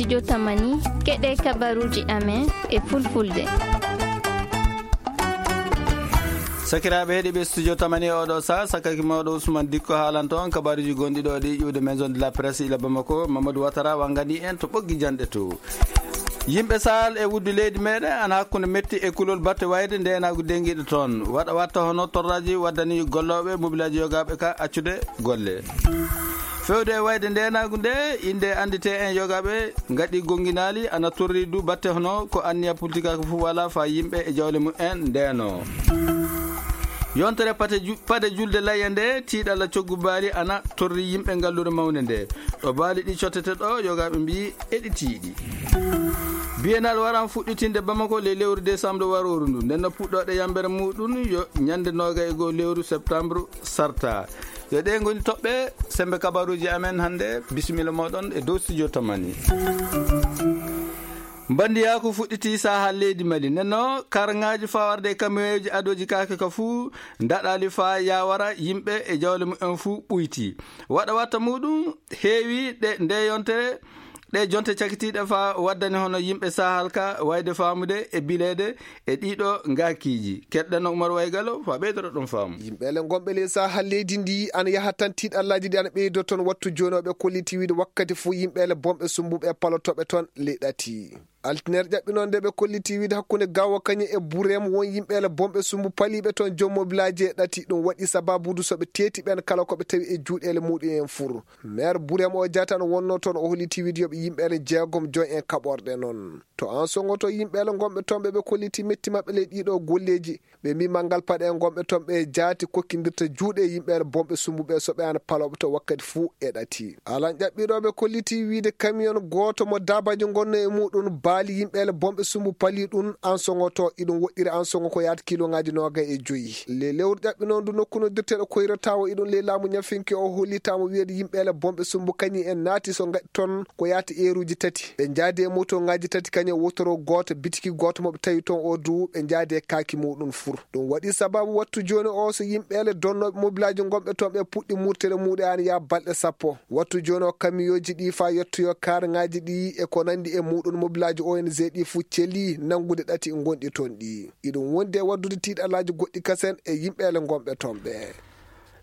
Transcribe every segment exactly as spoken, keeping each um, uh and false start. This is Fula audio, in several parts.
Studio Tamani, keɗe kabaruuji amen e fulfulde. Sakiraaɓe heɗiiɓe Studio Tamani, oɗo sa sakaki mawɗo Ousmane Dikko haalanto on kabaruuji gonɗi ɗo ɗi ƴuwde Maison de la Presse ila Bamako, Mamadou Ouattara wangani en to ɓoggi janɗe to. Yimɓe Sahal e wuddu leydi meɗen ana hakkunde metti e kulol batte wayde ndenaagu dengiɗo toon. Waɗa watta hono torraji waddani gollooɓe mobilaaji yogaaɓe ka accude golle. Fewde e wayde ndenaagu nde, inde anndite en yogaaɓe ngaɗi gonginaali ana torri du batte hono ko anniya politikaaku fof wala fa yimɓe e jawle mumen ndeno. Yontere pate ju-, pade julde layya nde, tiiɗalla coggu baali ana torri yimɓe ngallure mawnde nde. Ɗo baali ɗi cottete ɗo, yogaaɓe mbiyi eɗi tiiɗi. Biennale waran fuɗɗitinde Bamako le lewru décembre warooru ndu. Nden no puɗɗooɗe yambere muɗum yo ñande noogay e goo lewru septembre sarta. Yo ɗe ngoni toɓɓe sembe kabaruuji amen hannde. Bisimilla moɗon e dow Studio Tamani. Mbandiyaaku fuɗɗiti saha leydi Mali. Nenno karŋaaji fawarde e kamiyooji adooji kaake ka fuu ndaɗali fa yawara yimɓe e jawle mumen fuu ɓuyti. Waɗa watta muɗum heewi ɗe nde yontere, ɗe jonte cakitiiɗe fa waddani hono yimɓe Sahal ka wayde faamude e bileede e ɗiɗo ngaakiiji. Keɗɗen Umar Waygalo fa ɓeydoro ɗum faamu. Yimɓeele gonɓe ley Sahal leydi ndi ana yaha tan tiiɗallaaji ɗi ana ɓeydo toon. Wattu jooni o ɓe kolliti wiide wakkati fof yimɓeele bonɓe sumbuɓe e palotooɓe toon ley ɗati. Altiner ƴaɓɓinoo nde ɓe kolliti wiide hakkunde Gaawo Kañe e Burem won yimɓeele bonɓe sumbu paliiɓe toon joom mobilaaji e ɗati. Ɗum waɗi sababuudu so ɓe teeti ɓeen kala ko ɓe tawi e juuɗeele muɗum en fur. Meer Burem o jaatan wonnoo toon o holliti wiide yo ɓe yimɓeele jeegom joy en kaɓorɗe noon. To Ansoŋo to yimɓeele gonɓe toon ɓe ɓe kolliti metti maɓɓe ley ɗiɗo golleeji. Ɓe mbi manngal paɗe gonɓe toon ɓe jaati kokkindirta juuɗe yimɓeele bonɓe sumbuɓe so ɓe ana palooɓe to wakkati fuu e ɗati. Alan ƴaɓɓirooɓe kolliti wiide kamiyon gooto mo daabaji ngonno e muɗum baali yimɓeele bonɓe sumbu pali ɗum Ansoŋo to iɗum woɗɗiri Ansoŋo ko yaata kiloŋaaji noogay e joyi. Le lewru ƴaɓɓinoo ndu nokku no dirteɗo koyrata o iɗum ley laamu ñafinke o hollitaama wiyeede yimɓeele bonɓe sumbu kañi en naati so ngaɗi toon ko yaata eeruuji tati. Ɓe njaadi e motoŋaaji tati kañe wotoro gooto bitiki gooto mo ɓe tawi toon o du ɓe njaadi e kaaki muɗum fur. Ɗum waɗi sababu wattu jooni o so yimɓeele donnooɓe mobilaaji gonɓe toon ɓe puɗɗi murtere muɗe an yaa balɗe sappo. Wattu jooni o kamiyooji ɗi fa yettoyo kaaraŋaaji ɗi e ko nanndi e muɗum mobilaaji O N G ɗi fuu celi nanngude ɗati gonɗi toon ɗi. Iɗum wondi e waddude tiiɗalaaji goɗɗi kasen e yimɓeele gonɓe toon ɓe.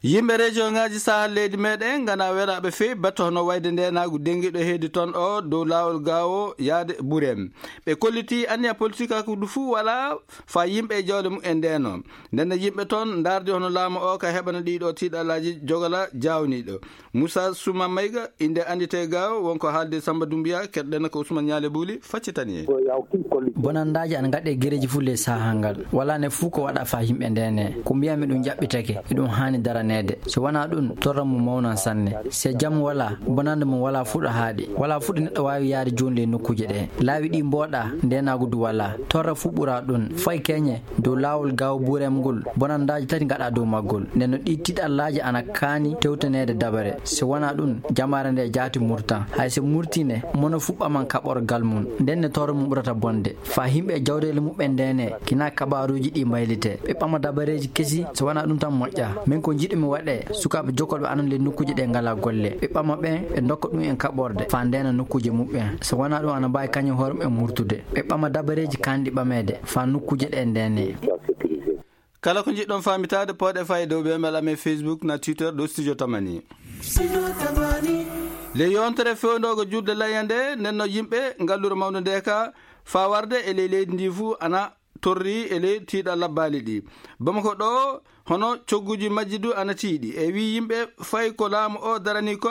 Yimɓe rejoŋaaji Sahal leydi meɗen ngana welaaɓe feewi batte hono wayde ndeenaagu dengiɗo heedi toon o dow laawol gaawo yaade Burem. Ɓe kolliti anniya politikaaku ndu fuu wala fa yimɓe e jawle mumen ndeno. Nden yimɓe toon ndaardi hono laamu o ka heɓana ɗiɗo tiiɗalaaji jogala jaawniiɗo. Moussa Souma Maïga, innde annditee gaawo, wonko haalde Samba Doumbouya, keɗɗen ko Ousmane Niale Bouli, faccitani en. Bonandaaji ana ngaɗe gereji fuu ley saha ngal. Wala ne fuu ko waɗa fa yimɓe ndene. Ko mbiyanmi ɗum jaɓɓitake, e ɗum haani daraneede. So wonaa ɗum, torra mum mawnan sanne. Se jam wala, bonande mum wala fuu ɗo haaɗi. Wala fuu ɗo neɗɗo waawi yaade jooni ley nokkuuje ɗe. Laawi ɗi mbooɗa, ndenaagu du wala. Torra fuu ɓura ɗum. Fay keñe, dow laawol gaawo Burem ngol, bonandaaji tati ngaɗa dow maggol. Nden no ɗi tiiɗallaaji ana kaani tewtaneede dabare. So wonaa ɗum, jamaare nde jaati murtan. Hay so murtii ne, mono fuu ɓaman kaɓorgal mum. Nden ne torra mum ɓurata bonde. Fa yimɓe e jawreele muɓɓen ndene, kina kabaruuji ɗi mbaylite. Ɓe ɓama dabareeji kesi, so wonaa ɗum tan moƴƴa. Min ko njiɗumi waɗe, sukaaɓe jokkolɓe anan ley nokkuuje ɗe ngala golle. Ɓe ɓama ɓen, ɓe ndokka ɗum en kaɓorde, fa ndena nokkuuje muɓɓen. So wonaa ɗum ana mbaawi kañum hoore mumen murtude. Ɓe ɓama dabareeji kanɗi ɓameede, fa nokkuuje ɗe ndene. Kala ko njiɗɗon faamitaade, pooɗe faa e dow ɓe mbela amen Facebook na Twitter ɗo Studio Tamani. Le yontere fewndoogo juulde layya nde, nden no yimɓe ngallure mawnde nde ka faa warde e ley leydi ndi fuu ana torri e ley tiiɗalla baali ɗi. Bamako ɗo, hono cogguuji majji du ana tiiɗi. E wii yimɓe fay ko laamu o darani ko,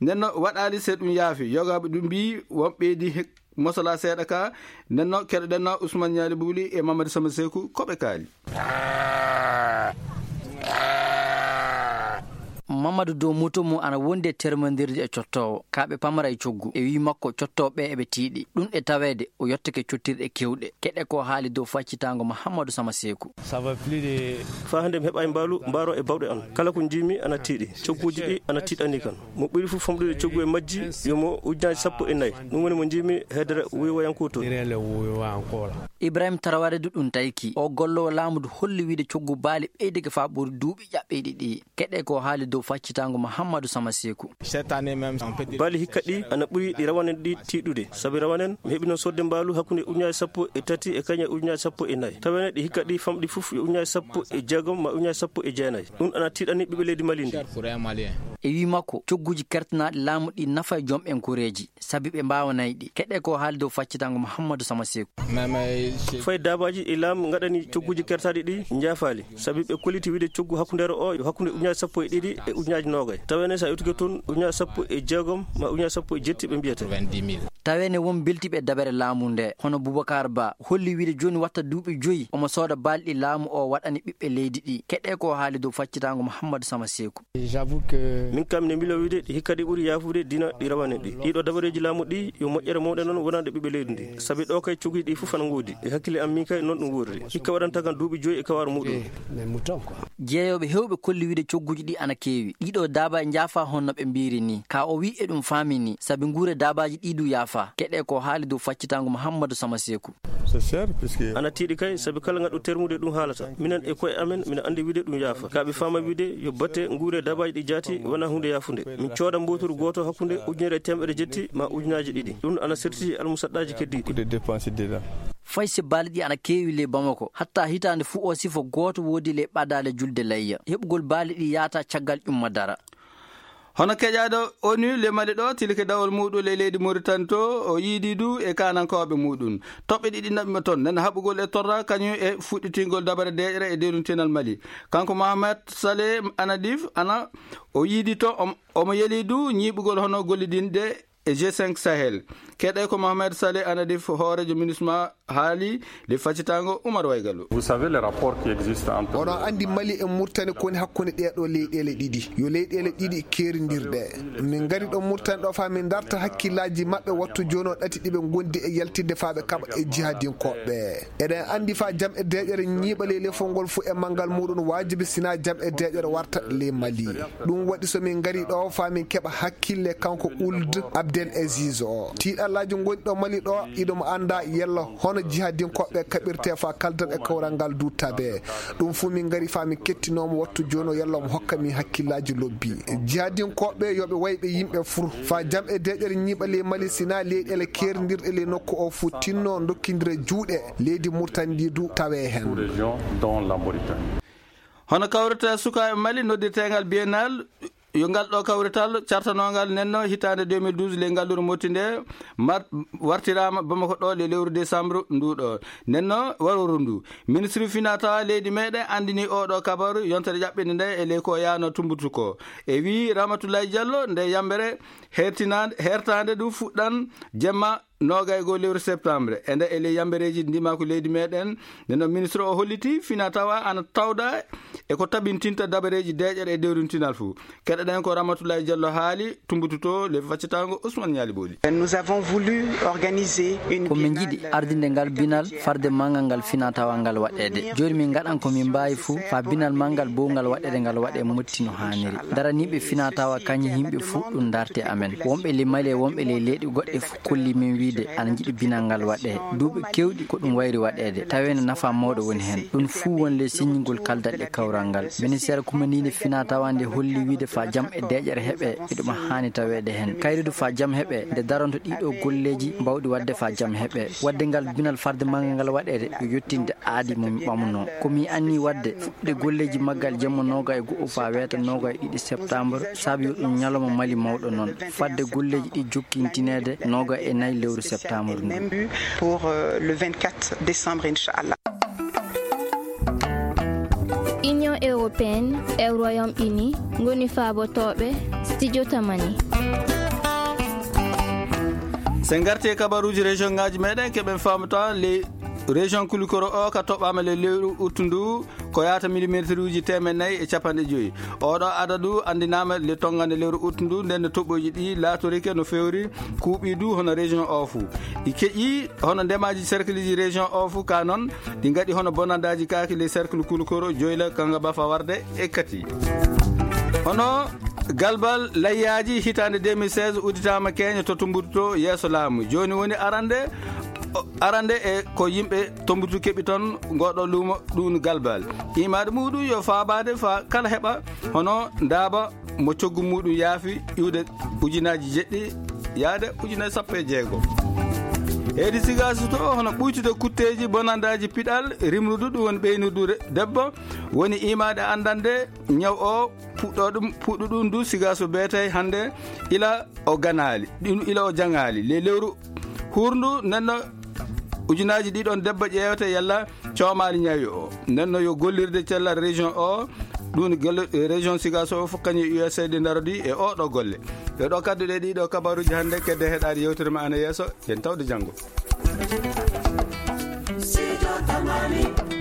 nden no waɗaali se ɗum yaafi. Yogaaɓe ɗum mbii won ɓeydi he-, mosola seeɗa ka, nden no keɗoɗen no Ousmane Niali Bouli e Mamadou Sama Seku ko ɓe kaali. Mamadou Dow moto mum ana wondi e termondirde e cottoowo. Ka ɓe pamara e coggu. E wii makko cottooɓe ɓe eɓe tiiɗi. Ɗum e taweede o yottake cottirɗe kewɗe. Keɗe ko haali dow faccitaango Mahamadou Sama Seku. Faa hannde mi heɓaay mbaalu mbaaro e bawɗe an. Kala ko njiimi ana tiiɗi. Cogguuji ɗi ana tiiɗani kan. Mo ɓuri fof famɗude coggu e majji, yo mo ujunaaji sappo e nayi. Ɗum woni mo njiimi heedere wuyowayankoo toon. Ibrahim Taraware du ɗum tayki. O golloowo laamu du holli wiide coggu baali ɓeydike faa ɓuri duuɓi ƴaɓɓiiɗi ɗi. Keɗe ko haali dow faccitaango Muhammadu Sama Seeku. Cette année même, on peut dire... Baali hikka ɗi ana ɓuri ɗi rawanen ɗi tiiɗude. Sabi rawanen, mi heɓino sodde mbaalu hakkunde ujunaaji sappo e tati e kañe ujunaaji sappo e nayi. Tawene ɗi hikka ɗi famɗi fof yo ujunaaji sappo e jeegom ma ujunaaji sappo e jeenayi. Ɗum ana tiiɗani ɓiɓɓe leydi Mali ndi. E wii makko, cogguuji kertanaaɗi laamu ɗi nafa e jom en koreeji, sabi ɓe mbaawanay ɗi. Keɗe ko haali dow faccitaango Muhammadu Sama Seeku. Fay daabaaji e laamu ngaɗani cogguuji kertaaɗi ɗi njaafaali, sabi ɓe kolliti wiide coggu hakkundeero o yo hakkunde ujunaaji sappo e ɗiɗi e ujunaaji noogay. Tawene sa iwtike toon ujunaaji sappo e jeegom ma ujunaaji sappo e jetti ɓe mbiyata. Tawene won beltiiɓe dabere laamu nde, hono Boubacar Ba, holli wiide jooni watta duuɓi joyi omo sooda baali ɗi laamu o waɗani ɓiɓɓe leydi ɗi. Keɗe ko haali dow faccitaango Muhammadu Sama Seeku. J'avoue que... Min kam ne milo wiide ɗi hikka ɗi ɓuri yaafude dina ɗi rawane ɗi. Ɗiɗo dabareeji laamu ɗi yo moƴƴere mawɗe noon wonande ɓiɓɓe leydi ndi. Sabi ɗo kay cogguuji ɗi fof ana ngoodi. E hakkille am min kay noon ɗum woodri. Hikka waɗanta kam duuɓi joyi e kawaaru muɗum. Jeeyooɓe heewɓe kolli wiide cogguuji ɗi ana keewi. Ɗiɗo daabaaji njaafa honno ɓe mbiyri ni. Ka o wii e ɗum faami ni. Sabi nguure daabaaji ɗi du yaafa. Keɗe ko haali dow faccitaango Muhammadu Sama Seeku. C'est cher, puisque... Ana tiiɗi kay, sabi kala ngaɗɗo termude ɗum haalata. Minen e koye amen, mino anndi wiide ɗum yaafa. Ka ɓe faama wiide yo batte nguure daabaaji ɗi jaati wona huunde yaafunde. Min cooda mbooturu gooto hakkunde ujunere e teemedere jetti ma ujunaaji ɗiɗi. Ɗum ana serti almusaɗɗaaji keddiiɗi. Beaucoup de dépenses déjà. Fay si baali ɗi ana keewi ley Bamako, hatta hitaande fuu o sifo gooto woodi ley ɓadaale julde layya. Heɓugol baali ɗi yaata caggal ƴumma dara. Hono keƴaaɗo onu le Mali ɗo, tilike dawol muɗum le leydi Mauritanie to, o yiidi du e kaanankooɓe muɗum. Toɓɓe ɗiɗi naɓi mo toon, nana haɓugol e torra, kañum e fuɗɗitingol dabare deeƴre e dewlintinal Mali. Kanko Mohamed Saleh Anadif, ana o yiidi to, om-, omo yeli du ñiiɓugol hono gollidinde e G cinq Sahel. Keɗe ko Mohamed Saleh Anadif, hooreejo MINUSMA, haali le faccitaango Umar Waygalu. Vous savez, les rapports qui existent entre... Oɗon anndi Mali e Mauritanie ko woni hakkunde ɗee ɗoo leyɗeele ɗiɗi. Yo leyɗeele ɗiɗi keerindirɗe. Min ngari ɗo Mauritanie ɗo faa min ndarta hakkillaaji maɓɓe wattu jooni o ɗati ɗi ɓe ngondi e yaltinde faa ɓe kaɓa e jihadinkooɓe. Eɗen anndi faa jam e deeƴere ñiiɓa ley lefol ngol fuu e manngal muɗum waajibi sinaa jam e deeƴere warta ley Mali. Ɗum waɗi so min ngari ɗo faa min keɓa hakkille kanko Ould Abdel Aziz o. Tiiɗallaaji ngonɗi ɗo Mali ɗo, iɗum annda yalla hono jihadinkooɓe kaɓirte faa kaldan e kawral ngal du tabe. Ɗum fuu min ngari faa min kettinoo mo wattu jooni o yalla omo hokka min hakkillaaji lobbi. Jihadinkooɓe yo ɓe way ɓe yimɓe fur. Faa jam e deeƴere ñiiɓa ley Mali sinaa leyɗeele keerindirɗe ley nokku o fuu tinno ndokkindira juuɗe leydi Mauritanie ndi du tawe heen. Sous-région dont la Mauritanie. Hono kawrital sukaaɓe Mali noddirteengal Biennale, yo ngal ɗo kawrital cartanongal nenno hitaande deux mille douze ley ngalluru Moti nde mar-, wartiraama Bamako ɗo le lewru décembre ndu ɗo. Nenno waruru ndu. Ministre finatawa leydi meɗen anndini oɗo kabaru yontere ƴaɓɓinde nde e ley ko yaano Tumbutu ko. E wii Ramatoulaye Diallo nde yambere hertinaande, hertaande du fuɗɗan jemma noogay goo lewru septembre. E nde e ley yambereeji ndimaku leydi meɗen, nde no ministre o holliti fina tawa ana tawda e ko tabintinta dabareeji deeƴere e dewrintinal fuu. Keɗoɗen ko Ramatoulaye Diallo haali, Tumbutu to le faccitaango Ousmane Ñaali Booli. Nous avons voulu organiser une... Ko min njiɗi ardinde ngal binal farde manngal ngal fina tawa ngal waɗeede. Jooni min ngaɗan ko min mbaawi fuu faa binal manngal bowngal waɗeede ngal waɗe Moti no haaniri. Daraniiɓe fina tawa kañum yimɓe fuu ɗum darte amen. Wonɓe ley Mali e wonɓe ley leyɗe goɗɗe fuu kolli min wiide ana njiɗi binal ngal waɗe. Duuɓi kewɗi ko ɗum wayri waɗeede, tawee no nafa mawɗo woni heen. Ɗum fuu won ley siññingol kaldal e kawral ngal. Ministeer kumandiinde fina tawa nde holli wiide faa jam e deeƴere heɓe, eɗum haani taweede heen. Kayrude faa jam heɓe, nde daronto ɗiɗo golleeji mbawɗi waɗde faa jam heɓe. Waɗde ngal binal farde manngal ngal waɗeede, yo yettinde aadi mo mi ɓamnoo. Ko mi anni waɗde, fuɗɗude golleeji maggal jemma nooga e go'o faa weeta nooga e ɗiɗi septembre, sabi yo ɗum ñalawma Mali mawɗo noon. Fadde golleeji ɗi jokkintineede nooga e nayi lewru septembre ndu. Même but pour, euh, le vingt-quatre décembre, inchallah. Union européenne e Royaume-Uni ngoni faabotooɓe studio Tamani. Sen ngarti e kabaruuji région ngaaji meɗen, keɓen faamata le région Kulikoro o ka toɓɓaama le lewru uttu ndu ko yaata millimétre uji teemeɗɗe nayi e capanɗe joyi. Oɗo adadu anndinaama le tonngande lewru uttu ndu, nden no toɓɓooji ɗi laatorike no fewri kuuɓi du hono région o fuu. Ɗi keƴi hono ndemaaji cercle ji région o fuu ka noon, ɗi ngaɗi hono bonandaaji kaaki le cercle Kulikoro, Joyla, Kanga Bafa Warde e Kati. Hono galbal layyaaji hitaande deux mille seize udditaama keeña to Tumbutu to yeeso laamu. Jooni woni arande, o, arande e ko yimɓe Tumbutu keɓi toon ngoɗo luumo ɗum galbal. Imaade muɗum yo faabaade faa kala heɓa hono ndaaba mo coggu muɗum yaafi iwde ujunaaji jeɗɗi yaade ujunaaji sappo e jeego. Heedi Sigaso to, hono ɓuytude kutteeji bonandaaji piɗal rimrudu, ɗum woni ɓeynudu re-, debbo, woni imaade anndande ñaw o puɗɗo ɗum, puɗɗo ɗum du Sigaso beetay hannde ila o ganaali, ɗum ila o jaŋaali. Le lewru hurndu nenno ujunaaji ɗiɗon debbo ƴeewete yalla coomaali ñawi o. Nenno yo gollirde cellal région o, ɗum gel-, région Sigaso o fof kañum e U S A D ndarodi e o ɗo golle. Ɗe ɗo kadduɗe ɗiɗo kabaruji hannde kedde heɗaade yewtere ma ana yeeso, yen tawde janngo. Sijo Tamani.